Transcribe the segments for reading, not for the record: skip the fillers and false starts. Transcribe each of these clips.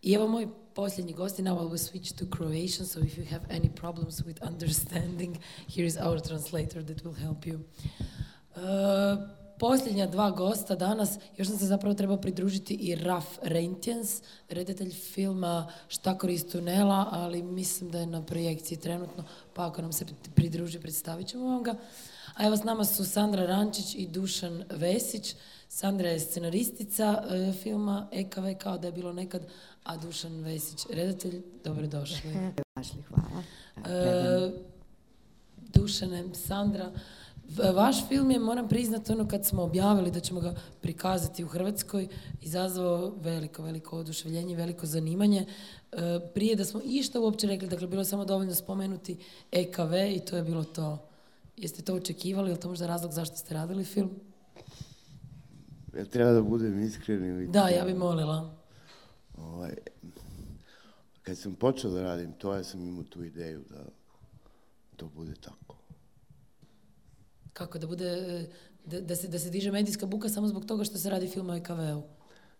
I evo moj posljednji gost, now I will switch to Croatian, so if you have any problems with understanding, here is our translator that will help you. Posljednja dva gosta danas, još sam se zapravo trebao pridružiti i Raf Reintjens, redatelj filma Štakor iz tunela, ali mislim da je na projekciji trenutno, pa ako nam se pridruži, predstavit ćemo vam ga. A evo s nama su Sandra Rančić i Dušan Vesić. Sandra je scenaristica filma EKV kao da je bilo nekad, a Dušan Vesić redatelj. Dobrodošli. Hvala. Dušane, Sandra, vaš film je, moram priznati, kad smo objavili da ćemo ga prikazati u Hrvatskoj, izazvao veliko oduševljenje, veliko zanimanje. Prije da smo išta uopće rekli, dakle, bilo je samo dovoljno spomenuti EKV i to je bilo to. Jeste to očekivali, je li to možda razlog zašto ste radili film? Ja treba da budem iskren. Da, ja bih molila. Kad sam počeo da radim to, ja sam imao tu ideju da to bude tako. Kako, da bude, da se diže medijska buka samo zbog toga što se radi film o EKV-u?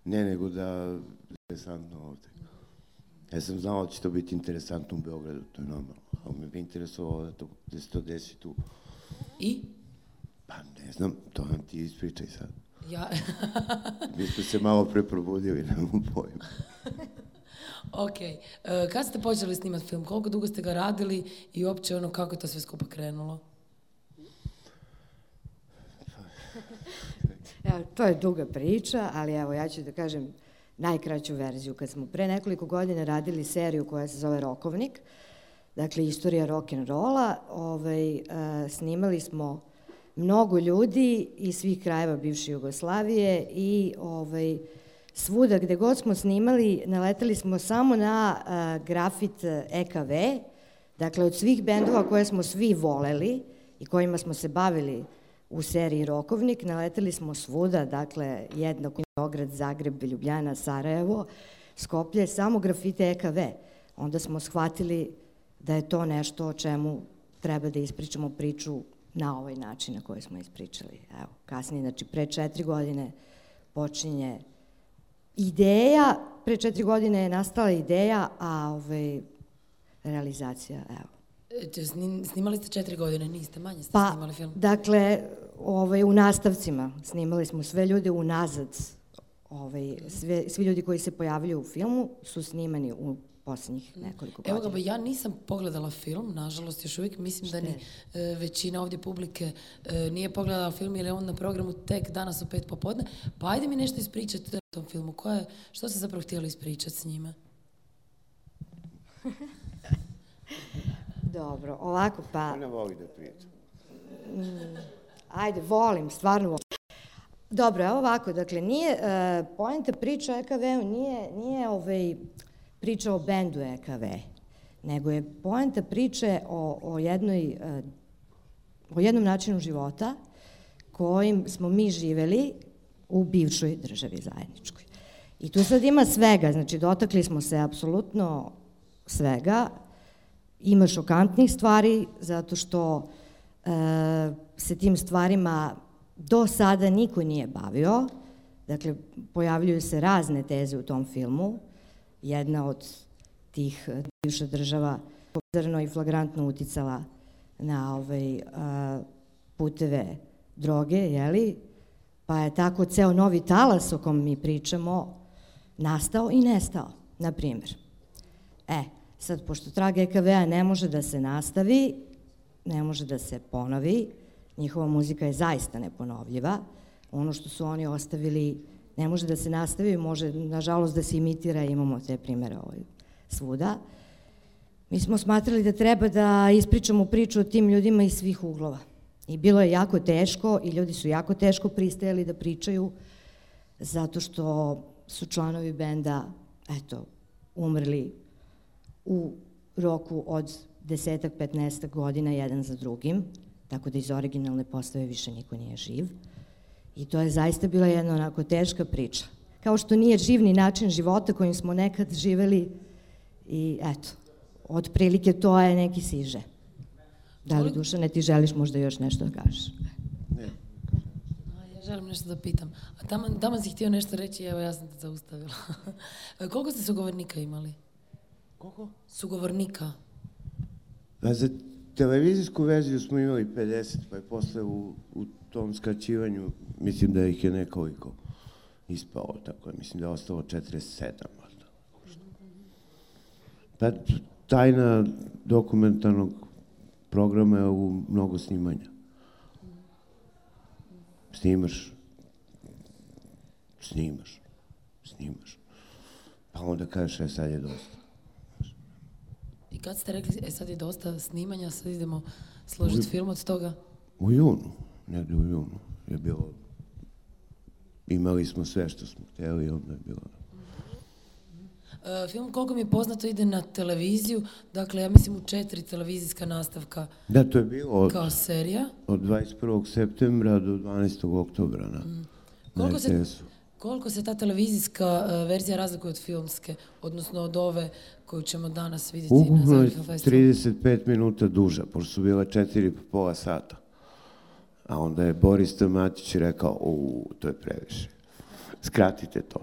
Ne, nego da je interesantno ovde. Ja sam znao da će to biti interesantno u Beogradu, to je normalno. Ali me bi interesovalo da se to desi tu. I? Pa ne znam, to nam ti ispričaj sad. Ja. Mi smo se malo preprobudili, nemam pojma. Ok. Kad ste počeli snimati film? Koliko dugo ste ga radili i uopće kako je to sve skupa krenulo? To je duga priča, ali evo ja ću da kažem najkraću verziju. Kad smo pre nekoliko godina radili seriju koja se zove Rokovnik, dakle istorija rock'n'rolla, snimali smo mnogo ljudi iz svih krajeva bivše Jugoslavije i svuda gde god smo snimali naletali smo samo na grafit EKV, dakle od svih bendova koje smo svi voleli i kojima smo se bavili u seriji Rokovnik, naletali smo svuda, dakle jednako Beograd, Zagreb, Ljubljana, Sarajevo, Skoplje, samo grafite EKV. Onda smo shvatili da je to nešto o čemu treba da ispričamo priču na ovaj način na koji smo ispričali. Evo, kasnije, znači pre 4 godine počinje ideja, pre 4 godine je nastala ideja, a realizacija, evo. Snimali ste 4 godine, niste manje ste snimali film? Dakle, u nastavcima snimali smo sve ljude unazad. Svi ljudi koji se pojavljuju u filmu su snimani u posljednjih nekoliko godina. Evo ga, ja nisam pogledala film, nažalost, još uvijek mislim da ni većina ovdje publike nije pogledala film jer je on na programu tek danas u 5 popodne. Pa ajde mi nešto ispričati o tom filmu. Što ste zapravo htjeli ispričati s njime? Dobro, ovako pa... Ona voli da priča. Ajde, volim, stvarno volim. Dobro, evo ovako, dakle, nije, poenta priča o EKV-u nije priča o bendu EKV, nego je poenta priče o jednom načinu života kojim smo mi živeli u bivšoj državi zajedničkoj. I tu sad ima svega, znači dotakli smo se apsolutno svega. Ima šokantnih stvari, zato što se tim stvarima do sada niko nije bavio. Dakle, pojavljuju se razne teze u tom filmu. Jedna od tih bivša država pozorno i flagrantno uticala na puteve droge, jeli? Pa je tako ceo novi talas o kom mi pričamo nastao i nestao, na primjer. Sad, pošto trag EKV-a ne može da se nastavi, ne može da se ponovi, njihova muzika je zaista neponovljiva, ono što su oni ostavili ne može da se nastavi, može, nažalost, da se imitira, imamo te primere svuda. Mi smo smatrali da treba da ispričamo priču o tim ljudima iz svih uglova. I bilo je jako teško i ljudi su jako teško pristajali da pričaju, zato što su članovi benda, umrli u roku od 10-15 godina jedan za drugim, tako da iz originalne postave više niko nije živ. I to je zaista bila jedna onako teška priča. Kao što nije živ ni način života kojim smo nekad živeli i otprilike to je neki siže. Da li, Dušane, ti želiš možda još nešto da kažeš? Ne. Želim nešto da pitam. A tamo si htio nešto reći, evo ja sam te zaustavila. Koliko ste sugovornika imali? Koliko? Sugovornika. Za televizijsku verziju smo imali 50, pa je posle u tom skraćivanju, mislim da ih je nekoliko ispao, tako je, mislim da je ostalo 47. Pa tajna dokumentarnog programa je u mnogo snimanja. Snimaš. Pa onda kažeš, sad je dosta. I kad ste rekli, sad je dosta snimanja, sad idemo složiti film od toga? U junu, negdje u junu je bilo, imali smo sve što smo htjeli i onda je bilo. Film, koliko mi je poznato, ide na televiziju, dakle, ja mislim u 4 televizijska nastavka. Da, to je bilo kao serija. Od 21. septembra do 12. oktobra na RTS-u. Koliko se ta televizijska verzija razlikuje od filmske, odnosno od ove koju ćemo danas vidjeti na Zagreb Film Festivalu? 35 minuta duža, pošto su bila 4,5 sata. A onda je Boris Tamatić rekao, to je previše. Skratite to.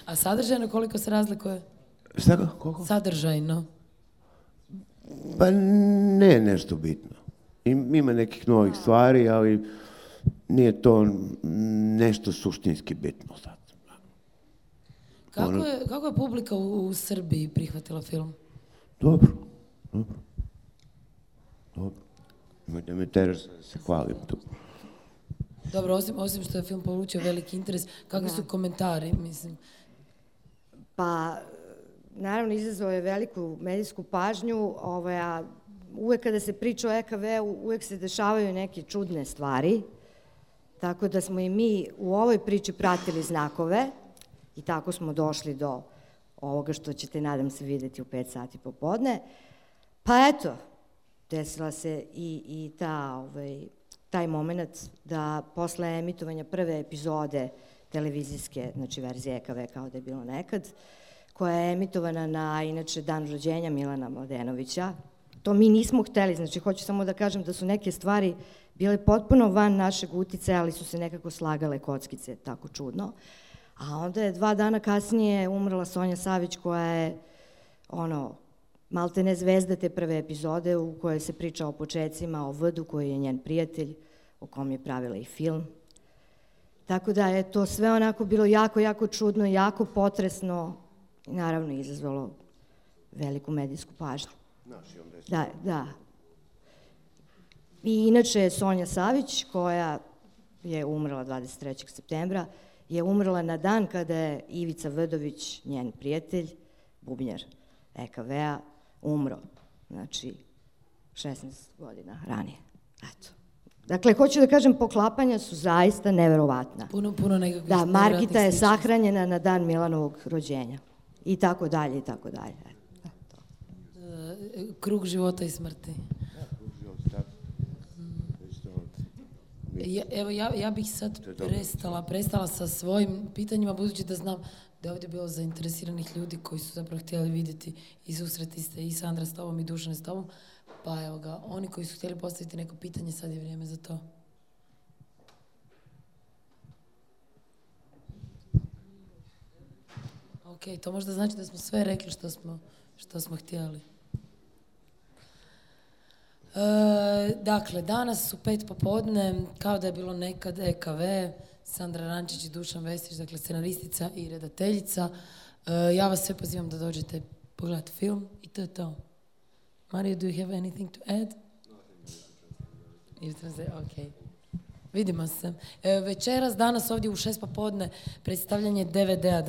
A sadržajno koliko se razlikuje? Šta ga? Koliko? Sadržajno. Pa ne nešto bitno. Ima nekih novih stvari, ali nije to nešto suštinski bitno sad. Kako je publika u Srbiji prihvatila film? Dobro. Da me teraš da se hvalim tu. Dobro, osim što je film polučio veliki interes, kakvi su komentari, mislim? Pa, naravno, izazvao je veliku medijsku pažnju, a uvek kada se priča o EKV-u, uvek se dešavaju neke čudne stvari, tako da smo i mi u ovoj priči pratili znakove i tako smo došli do ovoga što ćete, nadam se, videti u 5 sati popodne. Pa eto, desila se i taj moment da posle emitovanja prve epizode televizijske, znači verzije EKV kao da je bilo nekad, koja je emitovana na, inače, dan rođenja Milana Mladenovića. To mi nismo hteli, znači hoću samo da kažem da su neke stvari bile potpuno van našeg uticaja, ali su se nekako slagale kockice, tako čudno. A onda je 2 dana kasnije umrla Sonja Savić, koja je, maltene zvezda te prve epizode u kojoj se priča o počecima, o Vdu koji je njen prijatelj, o kom je pravila i film. Tako da je to sve onako bilo jako, jako čudno, jako potresno i naravno izazvalo veliku medijsku pažnju. Da. I inače Sonja Savić, koja je umrla 23. septembra, je umrla na dan kada je Ivica Vdović, njen prijatelj, bubnjar EKV-a, umro. Znači, 16 godina ranije. Eto. Dakle, hoću da kažem, poklapanja su zaista neverovatna. Puno nekakvih... Da, Margita je sahranjena na dan Milanovog rođenja. I tako dalje. Krug života i smrti. Evo, ja bih sad prestala sa svojim pitanjima, budući da znam da je ovdje bilo zainteresiranih ljudi koji su zapravo htjeli vidjeti i susreti se i Sandra s tobom i Dušan s tobom. Pa evo ga, oni koji su htjeli postaviti neko pitanje, sad je vrijeme za to. Ok, to možda znači da smo sve rekli što smo htjeli. Dakle, danas su 5 popodne, kao da je bilo nekad EKV, Sandra Rančić i Dušan Vestić, dakle scenaristica i redateljica. Ja vas sve pozivam da dođete pogledati film i to je to. Mario, do you have anything to add? Ok. Vidimo se. Večeras, danas ovdje u 6 popodne predstavljanje DVD-a.